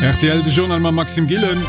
Rtl, De Journal mam Maxime Gillen.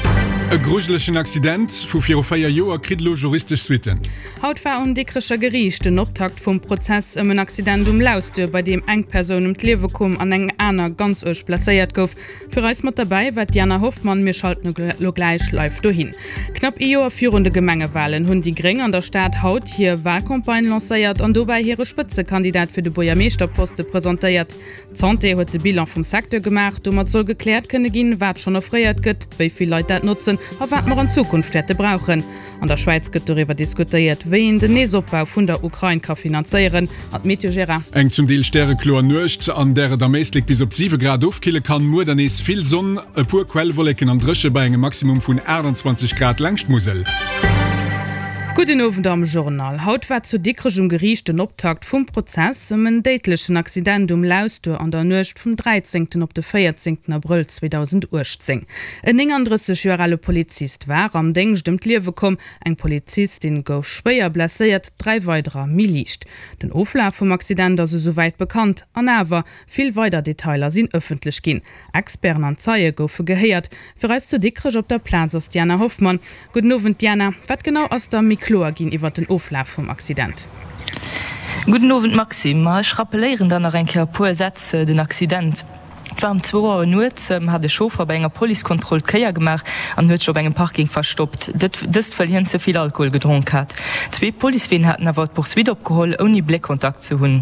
E grujelegen Accident vu viru 4 Joer kritt elo juristesch Suitten. Haut war um Dikrecher Geriicht den Optakt vum Prozess ëm en Accident um Lausduer, bei deem eng Persoun ëm d'Liewe koum an eng aner ganz uerg blesséiert gouf. Fir eis mat derbäi war d'Diana Hoffmann. Mir schalten elo gläich live dohin. Knapp ee Joer virun de Gemengewalen hunn déi Gréng an der Stad haut hir Walcampagne lancéiert an dobäi hire Spëtzekandidat fir de Buergermeeschterposte presentéiert. D'Santé huet de Bilan vum Secteur gemaach. Domat soll gekläert kënne ginn, wat schonn offréiert gëtt, wéi vill Leit dat notzen a wat mer an Zukunft wäerte brauchen. An der Schwäiz gëtt doriwwer diskutéiert, wéi een den Neesopbau vun der Ukrain ka finanzéieren. An d'Meteo, Gérard? Eng zum Deel stärekloer Nuecht, an där et am Éislek bis op 7 Grad ofkille kann. Muer dann nees vill Sonn, e puer Quellwolleken an dréche bei engem Maximum vun 28 Grad laangscht d'Musel. Gudden Owend am Journal. Haut war zu Dikrech um Geriicht den Optakt vum Prozess ëm en déidlechen Accident um Lausduer an der Nuecht vum 13 op de 14 Abrëll 2018. En 39 Joer ale Polizist war am Déngscht ëm d'Liewe komm, eng Polizistin gouf schwéier blesséiert, 3 weiderer méi liicht. Den Oflaf vum Accident ass esouwäit bekannt, an awer, vill weider Detailer sinn ëffentlech ginn. Experten an Zeie goufe gehéiert. Fir eis zu Dikrech op der Plaz ass d'Diana Hoffmann. Gudden Owend Diana, wat genau ass da méi kloer ginn iwwert den Oflaf vum Accident? Gudden Owend Maxime, ma ech rappelléieren der nach eng Kéier e puer Sätz den Accident. Et war ëm zwou Auer nuets, hat e Chauffer bei enger Policekontroll d'Kéier gemaach an huet sech op engem Parking verstoppt. Dëst wëll hien ze vill Alkohol gedronk hat. Zwee Policeween haten awer d'Poursuite opgeholl, ouni Bléckkontakt ze hunn.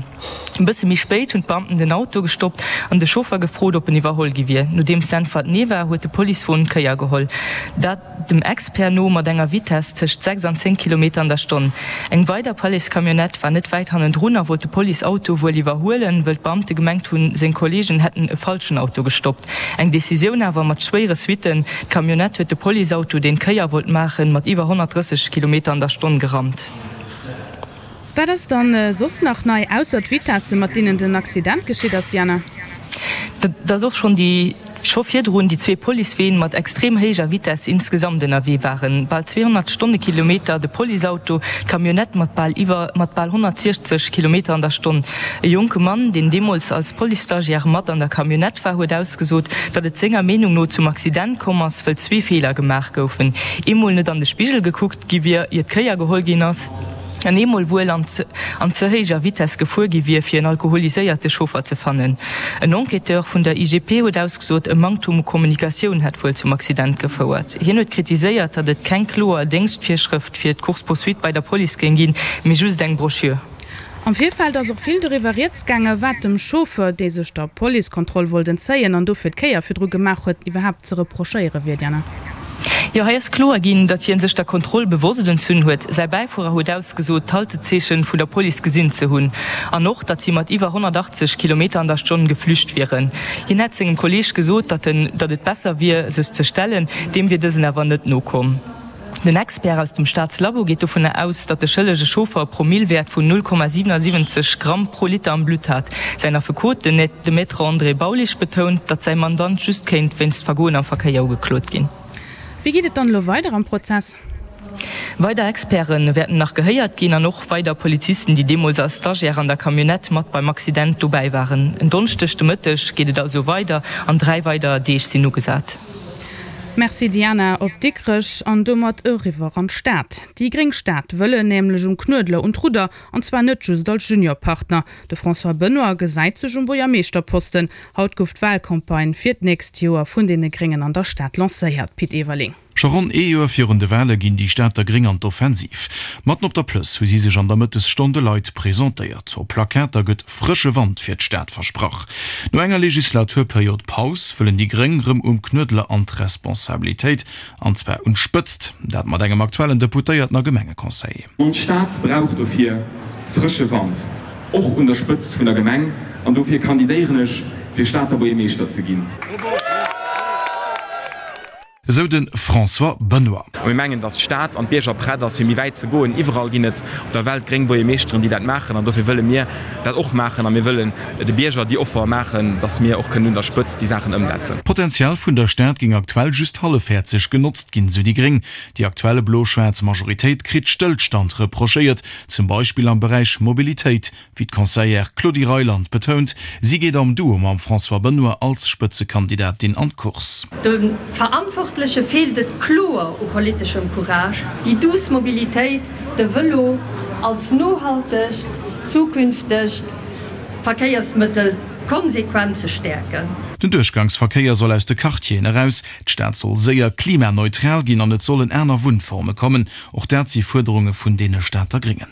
E bësse méi spéit hunn d'Beamten den Auto gestoppt an de Chauffer gefrot, ob en iwwerholl gi wier. Nodeems d'Äntwert nee war, huet de Policewon d'Kéier geholl. Dat. Dem Expert no mat enger Vitess tëscht 6 an 10 Kilometer an der Stonn. Eng weider Policecamionnette war net wäit hannendrun a wollt de Policeauto wuel iwwerhuelen, wëll d'Beamte gemengt hunn, seng Kolleegen hätten e falschen Auto gestoppt. Eng Decisioun awer mat schwéiere Suitten, D'Camionnette huet de Policeauto, deen d'Kéier wollt maachen, mat iwwer 130 Kilometer an der Stonn gerammt. Wat ass dann soss nach nei, ausser d'Vitesse mat deenen den Accident geschitt ass, Diana? Datt och schonn déi scho virdrun déi zwee Policeween mat extrem héijer Vitesse insgesamt ënnerwee waren, bal 200 Stonnekilometer de Policeauto, d'Camionnette mat bal iwwer mat bal 160 Kilometer an der Stonn. E jonke Mann, deen deemools als Police-Stagiaire mat an der Camionnette war, huet ausgesot, datt et senger Meenung no zum Accident komm ass, wëll zwee Feeler gemaach goufen, eemol net an de Spigel gekuckt gi wier, ier d'Kéier geholl ginn ass, an eemol wuel an an ze héijer Vitess gefuer gi wier, fir en alkoholiséierte Chauffer ze fannen. En Enquêteur vun der IGP huet ausgesot, e Manktum u Kommunikatioun hätt wuel zum Accident gefouert. Hien huet kritiséiert, datt et keng kloer Déngschtvirschrëft fir d'Course-poursuite bei der Police géing ginn, mee just eng Broschür. Am Virfeld ass och vill doriwwer rieds gaangen, wat dem Chauffeur, dee sech der Policekontroll wollt entzéien an dofir d'Kéier virdru gemaach huet, iwwerhaapt ze reprochéiere wier. Diana. Jo, hei ass kloer ginn, datt hien sech der Kontroll bewosst entzunn huet. Säi Bäifuerer huet ausgesot, d'Haltezeechen vun der Police gesinn ze hunn an och, datt si mat iwwer 180 Kilometer an der Stonn geflücht wieren. Hien hätt sengem Kolleeg gesot, datt en, datt et besser wier, sech ze stellen, deem wier dësen awer net nokomm. Den Expert aus dem Staatslabo geet dovunner aus, datt de schëllege Chauffer e Promillewäert vun 0,77 Gramm pro Liter am Blutt hat. Säin Affekot, den de Maître André Baulisch, betount, datt säi Mandant just kéint wéinst Vergoen am Verkéier ugeklot ginn. Wéi geet et dann elo weider am Prozess? Weider Experte wäerten nach gehéiert ginn an och weider Polizisten, déi deemools als Stagiaire an der Camionnette mat beim Accident dobäi waren. En Donneschdeg de Mëtteg geet et also weider an 3 weider Deeg sinn ugesat. Merci Diana, op Dikrech an domat eriwwer an d'Stad. Déi gréng Stad wëllen nämlech um Knuedler un d'Rudder, an zwar net just als Juniorpartner. De François Benoy gesäit sech um Buergermeeschterposten. Haut gouf d'Wahlcampagne fir d'nächst Joer vun deene Gréngen an der Stad lancéiert. Pit Everling. Scho ronn ee Joer virun de Wale ginn déi Stater Gréng an d'Offensiv. Matten op der Plëss hu si sech an der Mëttesstonn de Leit presentéiert. Op Plakater gëtt frësche Wand fir d'Stad versprach. No enger Legislaturperiod Paus wëllen déi Gréng rëm um Knuedler an d'Responsabilitéit, an zwar un d'Spëtzt. Dat mat engem aktuellen Deputéierten a Gemengeconseiller. Ons Stad brauch dofir frësche Wand, och un der Spëtzt vun der Gemeng, an dofir kandidéieren ech fir Stater Buergermeeschter ze ginn. Esou de François Benoy. A mir mengen, datt d'Stad an d'Bierger prett ass, fir méi wäit ze goen. Iwwerall ginn et op der Welt gréng Buergermeeschteren, déi dat maachen. An dofir wëlle mir dat och maachen. A mir wëllen de Bierger déi Offer maachen, datt mir och kënnen un der Spëtzt déi Saachen ëmsetzen. D'Potenzial vun der Stad géing aktuell just hallefhäerzeg genotzt ginn, esou déi gréng. Déi aktuell blo-schwaarz Majoritéit kritt Stëllstand reprochéiert, zum Beispill am Beräich Mobilitéit, Wéi d'Conseillère Claudie Reyland betount, si geet am Duo mam François Benoy als Spëtzekandidatin an d'Course. De Verantwortleche feelt et kloer u politeschem Courage, déi douce Mobilitéit, de Vëlo als nohaltegt, zukünftegt Verkéiersmëttel konsequent ze stäerken. Den Duerchgangsverkéier soll aus de Quartieren eraus, d'Stad soll séier klimaneutral ginn an et sollen aner Wunnforme kommen. Och dat si Fuerderunge vun deene Stater Gréngen.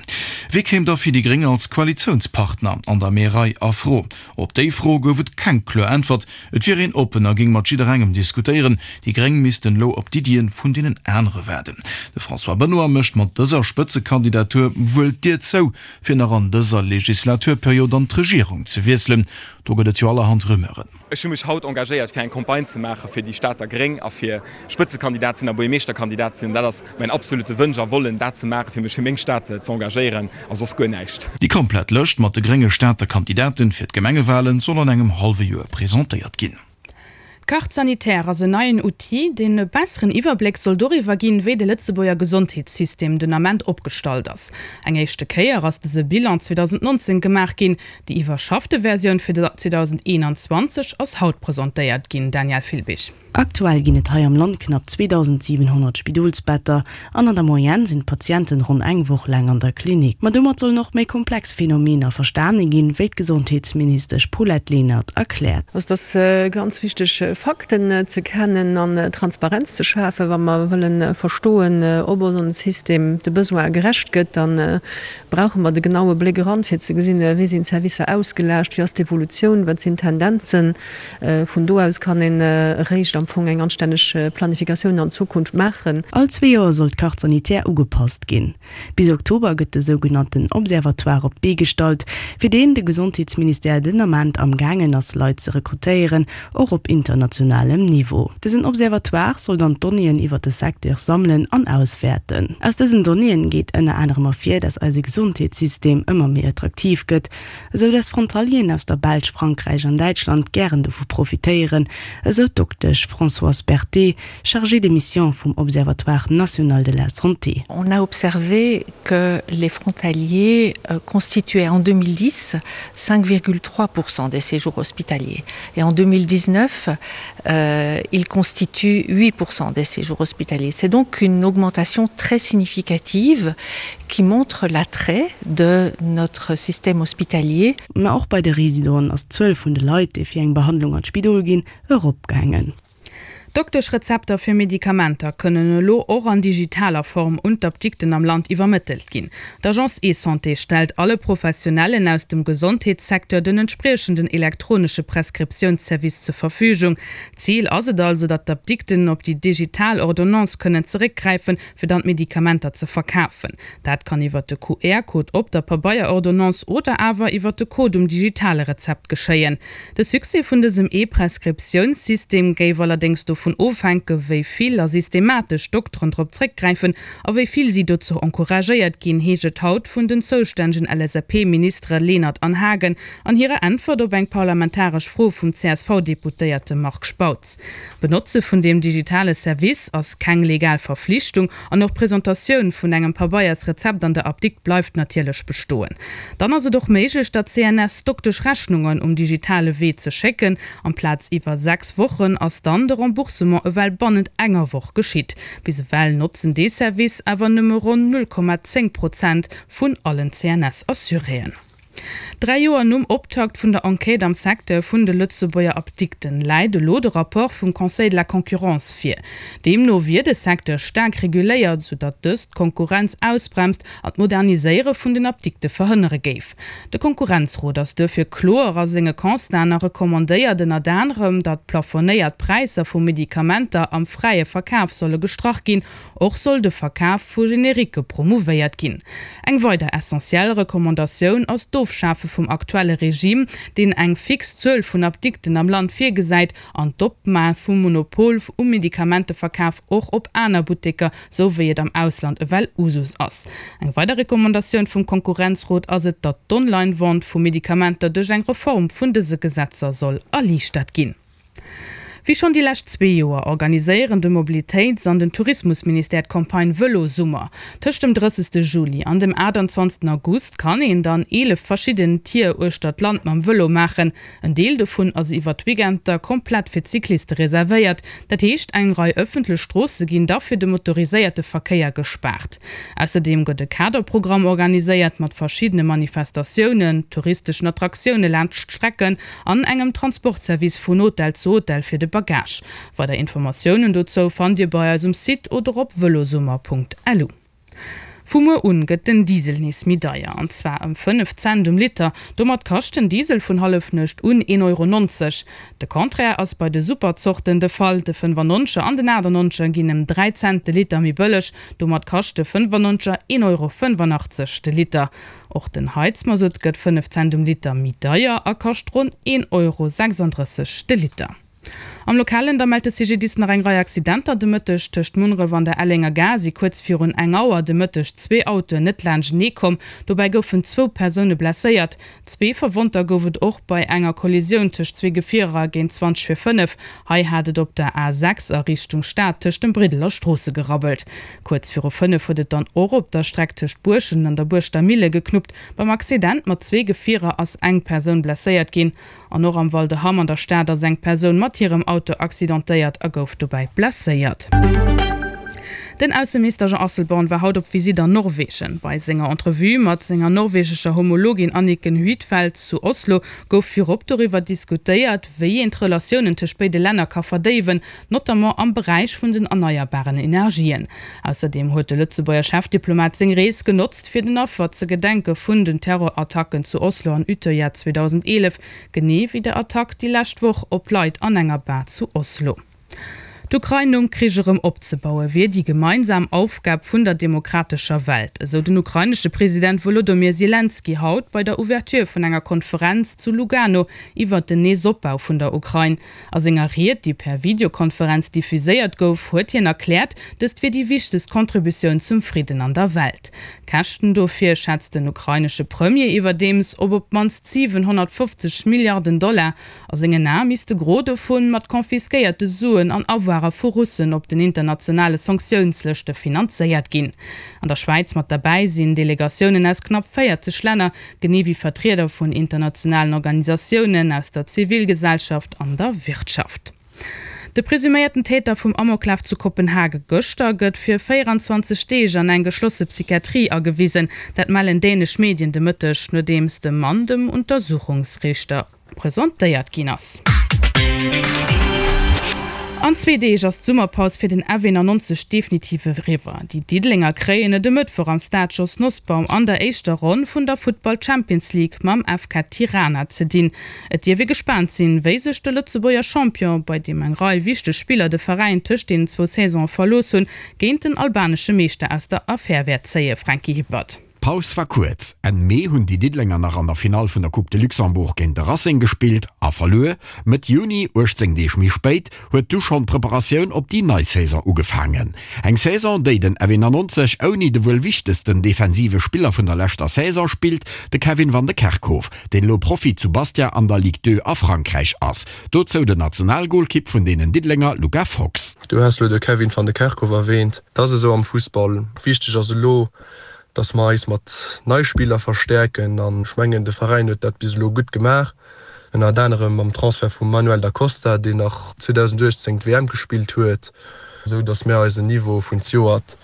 Wie kéim da fir déi Gréng als Koalitiounspartner an der Märei a Fro? Op déi Fro gouf et keng kloer Äntwert. Et wier een oppen a géing mat jidderengem diskutéieren. Déi Gréng missten elo op d'Iddien vun deenen anere waarden. De François Benoy mécht mat dëser Spëtzekandidatur wuel d'Dier zou, fir nach an dëser Legislaturperiod an d'Regierung ze wiesselen. Do gëtt et jo allerhand Rumeuren. Ech hu mech haut engagéiert fir eng Campagne ze maache fir déi Stater Gréng a fir Spëtzekandidat sinn a Buergermeeschterkandidat sinn. An dat ass mäin absolute Wënsch a Wollen, dat ze maachen, fir mech fir meng Stad ze engagéieren a soss guer näischt. Déi komplett Lëscht mat de grénge Stater Kandidaten fir d'Gemengewalen soll an engem hallwe Joer presentéiert ginn. D'Carte sanitaire ass en neien Outil, deen e besseren Iwwerbléck soll doriwwer ginn, wéi de Lëtzebuerger Gesondheetssystem den Ament opgestallt ass. Eng éischte Kéier ass dëse Bilan 2019 gemaach ginn. Déi iwwerschaffte Versioun fir 2021 ass haut presentéiert ginn, Danièle Filbig. Aktuell ginn et hei am Land knapp 2.700 Spidolsbetter an an der Moyenne sinn d'Patienten ronn eng Woch laang an der Klinik. Ma domat sollen och méi komplex Phänomener verstane ginn, wéi d'Gesondheetsministesch Paulette Lenert erkläert. Also et ass ganz wichteg Fakten ze kennen an Transparenz ze schafen, wa mer wëlle verstoen, ob onsen System de Besoine gerecht gëtt. Da brauche mer de genaue Bléck eran, fir ze gesinn, wéi sinn d'Servicer ausgelaascht, wéi ass d'Evolutioun, wat sinn d'Tendenzen. Vun do aus kann een eréischt am Fong eng anstänneg Planifikatioun an Zukunft maachen. All zwee Joer soll d'Carte sanitaire ugepasst ginn. Bis Oktober gëtt de sougenannten Observatoire op d'Bee gestallt, fir deen de Gesondheetsministère den Ament am gaangen ass Leit ze rekrutéieren, och op internationalem Niveau. Dësen Observatoire soll dann d'Donnéeën iwwer de Secteur sammelen an auswäerten. Aus dësen Donnéeën geet ënner anerem ervir, dass eise Gesondheetssystem ëmmer méi attraktiv gëtt, esou dass Frontalieren aus der Belsch, Frankräich an Däitschland gären dovu profitéieren, esou d'Doktesch Françoise Berthet, chargée de mission vum Observatoire national de la santé. On a observé que les frontaliers constituaient en 2010 5,3 % des séjours hospitaliers et en 2019 euh, ils constituent 8 % des séjours hospitaliers. C'est donc une augmentation très significative qui montre l'attrait de notre système hospitalier. Mä och bei de Residenten ass d'Zuel vun de Leit, déi fir eng Behandlung an d'Spidol ginn, eropgaangen. Dokteschrezepter fir Medikamenter kënnen elo och an digitaler Form un d'Apdikten am Land iwwermëttelt ginn. D'Agence eSanté stellt alle Professionellen aus dem Gesondheetssecteur den entspriechenden elektronesche Prescriptiounsservice zur Verfügung. Zil ass et also, datt d'Apdikten op déi digital Ordonnance kënnen zeréckgräifen, fir dann d'Medikamenter ze verkafen. Dat kann iwwert de QR-Code op der Pabeierordonnance oder awer iwwert de Code um digitale Rezept geschéien. De Succès vun dësem E-Prescriptiounssystem géif allerdéngs dovun ofhänke wéi vill a systematesch Dokteren drop zréckgräifen a wéi vill si dozou encouragéiert ginn, heescht et haut vun den zoustännegen LSAP-Ministere Lenert an Haagen an hirer Äntwert op eng parlamentaresch Fro vum CSV-Deputéierte Marc Spautz. D'Benotze vun deem digitale Service ass keng legal Verflichtung an och d'Presentatioun vun engem Pabeiersrezept an der Apdikt bleift natierlech bestoen. Dann ass et och méiglech, der CNS Dokteschrechnungen um digitale Wee ze schécken. Amplaz iwwer 6 Wochen ass dann de Remboursement ewell bannent enger Woch geschitt. Bis ewell notzen dee Service awer nëmme ronn 0,10 Prozent vun allen CNS-Assuréen. Dräi Joer nom Optakt vun der Enquête am Secteur vun de Lëtzebuerger Apdikten läit elo de Rapport vum Conseil de la concurrence vir. Deemno wier de Secteur staark reguléiert, sou datt dëst d'Konkurrenz ausbremst an d'Moderniséiere vun den Apdikte verhënnere géif. De Konkurrenzrot ass duerfir kloer a senge Constaten a recommandéiert ënnert anerem, datt plafonéiert Präisser vu Medikamenter am fräie Verkaf solle gestrach ginn Och soll de Verkaf vu Genericke promouvéiert ginn. Eng weider essentiell Recommandatioun ass d'Ofschafe. Ofschafe vum aktuelle Regime, deen eng fix Zuel vun Apdikten am Land virgesäit, an d'Opmae vum Monopol um Medikamenteverkaf och op aner Butteker, sou wéi et am Ausland ewell Usus ass. Eng weider Recommandatioun vum Konkurrenzrot ass et, datt d'Online-Vente vu Medikamenter duerch eng Reform vun dëse Gesetzer soll erliichtert ginn. Wéi schonn déi lescht zwee Joer organiséieren de Mobilitéits an den Tourismusministère d'Campagne Vëlosummer. Tëscht dem 30. Juli an dem 28. August kann een dann 11 verschidden Tier uechter d'Land mam Vëlo maachen. En Deel dovun ass iwwer d'Weekender komplett fir d'Cycliste reservéiert. Dat heescht, eng Rei ëffentlech Stroosse ginn da fir de motoriséierte Verkéier gespaart. Ausserdeem gëtt e Kaderprogramm organiséiert mat verschiddene Manifestatiounen, touristeschen Attraktioune laanscht d'Strecken an engem Transportservice vun Hotel zu Hotel fir de Bagage. Weider Informatiounen dozou fannt Dir bei eis um Site oder op velosummer.lu. Vu muer un gëtt den Diesel nees méi deier, an zwar ëm 5 Cent um Liter. Domat kascht den Diesel vun Hallefnuecht un 1,90 Euro. De Contraire ass bei de Superzorten de Fall, De 95er an den 98er ginn ëm 3 Cent de Liter méi bëlleg. Domat kascht de 95er 1,85 Euro de Liter. Och den Heizmasutt gëtt 5 Cent um Liter méi deier a kascht ronn 1,36 Euro de Liter. Am Lokalen da mellt de CGDIS nach eng Rei Accidenter de Mëtteg. Tëscht Munneref an der Ellenger Gare si kuerz virun eng Auer de Mëtteg zwee Autoen net laanschtenee komm. Dobäi goufen zwou Persoune blesséiert. Zwee Verwonnter gouf et och bei enger Kollisioun tëscht zwee Gefierer géint 20 vir 5. Hei hat et op der A 6 a Richtung Stad tëscht dem Briddel a Stroosse gerabbelt. Kuerz viru 5 huet et dann och op der Streck tëscht Buerschent an der Buerschter Mille geknuppt. Beim Accident mat zwee Gefierer ass eng Persoun blesséiert ginn. An och am Val de Hamm an der Stad ass eng Persoun mat hirem Auto accidentéiert a gouf dobäi blesséiert. Den Ausseminister Jean Asselborn war haut op Visitt an Norwegen. Bei senger Entrevue mat senger norwegescher Homologin Anniken Huitfeldt zu Oslo gouf virop doriwwer diskutéiert, wéi een d'Relatiounen tëscht béide Länner ka verdéiwen, notamment am Beräich vun den erneierbaren Energien. Ausserdeem huet de Lëtzebuerger Chefdiplomat seng Rees genotzt, fir den Affer ze gedenke vun den Terrorattacken zu Oslo an Utøya 2011, genee wéi der Attack déi lescht Woch op Leit an enger Bar zu Oslo. D'Ukrain nom Krich erëm opzebaue wier déi gemeinsam Aufgab vun der demokratescher Welt, esou den ukrainesche President Wolodomyr Selenskyj haut bei der Ouverture vun enger Konferenz zu Lugano iwwert den Neesopbau vun der Ukrain. A senger Ried, déi per Videokonferenz diffuséiert gouf, huet hien erkläert, dëst wier déi wichtegst Contributioun zum Fridden an der Welt. D'Käschten dofir schätzt den ukrainesche Premier iwwerdeems op op d'mannst 750 Milliarden Dollar. A sengen Ae misst de Gros dovun mat confisquéierte Suen an Avoire vu Russen op den internationale Sanktiounslëschte finanzéiert ginn. An der Schwäiz mat derbäi sinn Delegatiounen aus knapp 40 Länner, genee wéi Vertrieder vun internationalen Organisatiounen, aus der Zivilgesellschaft an der Wirtschaft. De presuméierten Täter vum Amoklaf zu Kopenhage gëschter gëtt fir 24 Deeg an eng geschlosse Psychiatrie agewisen. Dat mellen dänesch Medien de Mëtteg, nodeems de Mann dem Untersuchungsriichter presentéiert ginn ass. An zwee Deeg ass d'Summerpaus fir den F91 definitiv eriwwer. Déi Diddelenger kréien et e Mëttwoch am Stade Jos Nosbaum an der éischter Ronn vun der Futtball Champions League mam FK Tirana ze dinn. Et dierf ee gespaant sinn, wéi sech de Lëtzebuerger Champion, bei deem eng Rei wichteg Spiller de Veräin tëscht deenen zwou Saisone verlooss hunn, géint den albanesche Meeschter aus der Affär wäert zéien. Franky Hippert. D'Paus war kuerz. Enn Mee hunn déi Diddelenger nach an der Finall vun der Coupe de Luxembourg géint de Racing gespillt a verluer. Mëtt Juni, 18 Deeg méi spéit, huet du schonn d'Preparatioun op déi nei Saison ugefaangen. Eng Saison, déi den F91 ouni de wuel wichtegsten defensive Spiller vun der leschter Saison spillt, de Kevin Van de Kerkhof, deen elo Profi zu Bastia an der Ligue 2 a Frankräich ass. Dozou den Nationalgolkipp vun deenen Diddelenger Luca Fox. Du has elo de Kevin Van de Kerkhof erwähnt. Et ass esou am Fussball, wichteg ass elo, dass mer eis mat nei Spiller verstäerken an ech mengen de Veräin huet dat bis elo gutt gemaach, ënnert anerem mam Transfert vum Manuel Da Costa, deen nach 2018 d'WM gespillt huet, esou dass mär eisen Niveau vun zejoert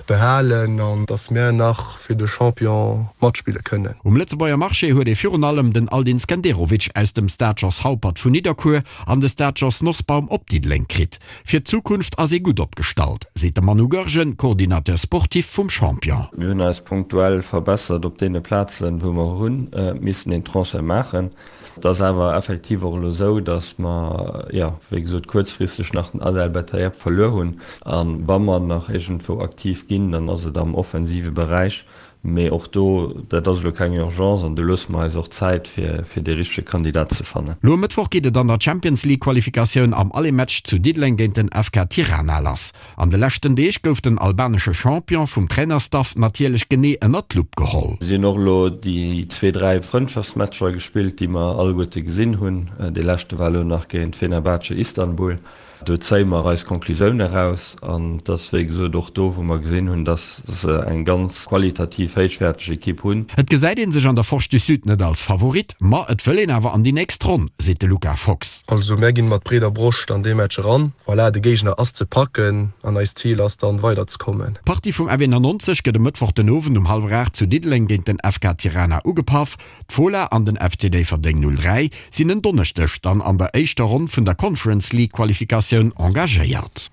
behalen an dass mär nach fir de Champion matspille kënnen. Um Lëtzebuerger Marché huet ee virun allem den Aldin Skenderovic aus dem Stade Jos Haupert vun Nidderkuer an de Stade Jos Nosbaum op Diddeleng kritt. Fir d'Zukunft ass ee gutt opgestallt, seet de Manu Goergen, Coordinateur sportif vum Champion. Mir hunn eis punktuell verbessert op deene Plazen, wou mer hu missen een Transfert maachen. Et ass awer effektiv och elo esou, datt mer, jo, wéi gesot, kuerzfristeg nach den Adel Bettaieb verluer hunn. A wa mer nach iergendwou aktiv ginn, dann ass et am offensive Beräich. Mee och do, dat ass elo keng Urgence an do loosse mer eis och Zäit, fir fir dee richtege Kandidat ze fannen. Lo e Mëttwoch geet et an der Champions League Qualifikatioun am Aller-Match zu Diddeleng géint den FK Tirana lass. An de leschten Deeg gouf den albanesche Champion vum Trainerstaff natierlech genee ënnert d'Lupp geholl. Si hunn och elo déi zwee, dräi Frëndschaftsmatcher gespillt, déi mer alleguerte gesinn hunn. Dee leschte war elo nach géint Fenerbahce Istanbul. Do zéie mer eis Conclusioun eraus. An et ass, wéi gesot, och do, wou mer gesinn hunn, dass se eng ganz qualitativ héichwäerteg Ekipp hunn. Et gesäit ee sech an der Forge du Sud net als Favorit, ma et wëll een awer an déi nächst Ronn, seet de Luca Fox. Also mär ginn mat breeder Broscht an dee Match eran. Voilà, de Géigner ass ze packen an eist Zil ass dann weider ze kommen. D'Partie vum F91 gëtt e Mëttwoch den Owend um hallwer 8 zu Diddeleng géint den FK Tirana ugepaff. D'Fola an den FC Déifferdeng 03 sinn en Donneschdeg dann an der éischter Ronn vun der Conference League Qualifikatioun engagéiert.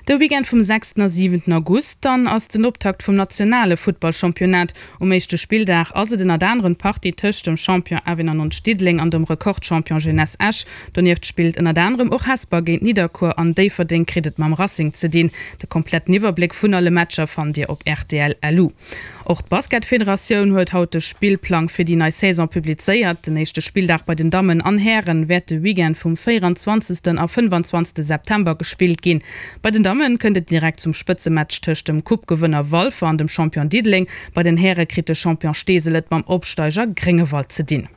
De Weekend vum sechsten a siwenten August dann ass den Optakt vum nationale Futtballchampionnat. Um éischte Spilldag ass et ënnert anerem d'Partie tëscht dem Champion F91 Diddeleng an dem Rekordchampion Jeunesse Esch. Donieft spillt ënnert anerem och Hesper géint Nidderkuer an Déifferdeng kritt et mam Racing ze dinn. De kompletten Iwwerbléck vun alle Matcher fannt Dir op rtl. Lu. Och d'Basketfederatioun huet haut de Spillplang fir déi nei Saison publizéiert. Den éischte Spilldag bei den Dammen an Hären wäert de Weekend vum 24. A 25. September gespillt ginn. Bei den Damme kënnt et direkt zum Spëtzematch tëscht dem Coupe-Gewënner Walfer an dem Champion Diddeleng. Bei den Häre kritt de Champion Steesel et mam Opsteiger Gréngewald ze dinn.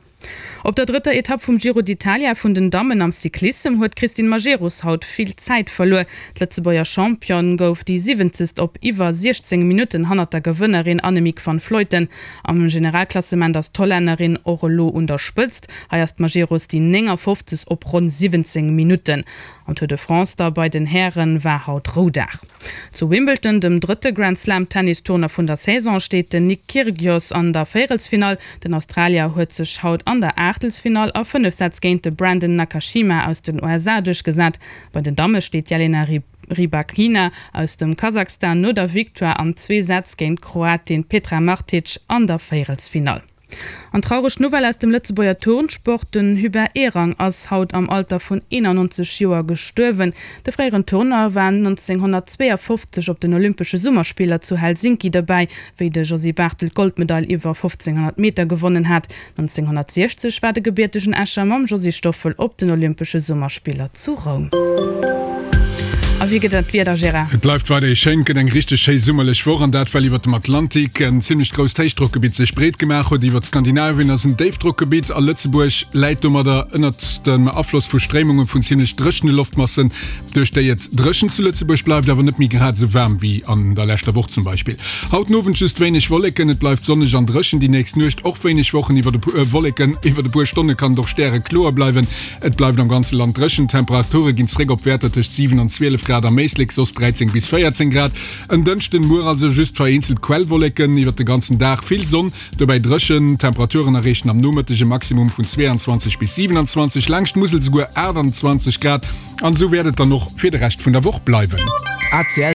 Op der drëtter Etapp vum Giro d'Italia vun den Dammen am Cyclissem huet d'Christine Majerus haut vill Zäit verluer. D'Lëtzebuerger Championne gouf déi siwwenzegst op iwwer 16 Minutten hannert der Gewënnerin Annemiek van Vleuten. Am Generalklassement ass d'Hollännerin och elo un der Spëtzt. Hei ass d'Majerus déi 59. op ronn 17 Minutten. Am Tour de France da bei den Häre war haut Roudag. Zu Wimbledon, dem drëtte Grand-Slam-Tennistournoi vun der Saison, steet den Nick Kyrgios an der Véierelsfinall. Den Australier huet sech haut an der Aachtelsfinall a 5 Sätz géint de Brandon Nakashima aus den USA duerchgesat. Bei den Damme steet d'Jelena Rybakina aus dem Kasachstan no der Victoire an zwee Sätz géint d'Kroatin Petra Martic an der Véierelsfinall. An traureg Nouvelle aus dem Lëtzebuerger Turnsport, Den Hubert Ehrang ass haut am Alter vun 91 Joer gestuerwen. De fréieren Turner war 1952 op den Olympesche Summerspiller zu Helsinki dobäi, wéi de Josy Barthel d'Goldmedail iwwer 1500 Meter gewonnen hat. 1960 war de gebiertegen Escher mam Josy Stoffel op den Olympesche Summerspiller zu Roum. A wéi gëtt et d'Wieder, Gérard? Et bleift weiderhi schéin, et gëtt eng richteg schéi summerlech Woch an dat well iwwert dem Atlantik en zimmlecht grousst Héichdrockgebitt sech breet gemaach huet. Iwwert Skandinavien ass en Déifdrockgebitt a Lëtzebuerg läit domadder ënnert dem Afloss vu Stréimunge vun zimmlech dréchene Loftmassen, duerch déi et dréchen zu Lëtzebuerg bleift, awer net méi grad esou waarm wéi an der leschter Woch zum Beispill. Haut den Owend just wéineg Wolleken, et bleift sonneg an dréchen, déi nächst Nuecht och wéineg Wochen iwwer Wolleken, iwwert e puer Stonne kann et och stärekloer bleiwen. Et bleift am ganze Land dréchen, d'Temperature ginn zréck op Wäerter tëscht 7 an 12 Grad am Éislek, soss 13 bis 14 Grad. En Dënschden muer also just vereenzelt Quellwolleken, iwwert de ganzen Dag vill Sonn, dobäi dréchen. D'Temperaturen erreechen am Nomëtteg e Maximum vun 22 bis 27, laangscht d'Musel souguer 28 Grad. An esou wäert et dann och fir de Rescht vun der Woch bleiwen.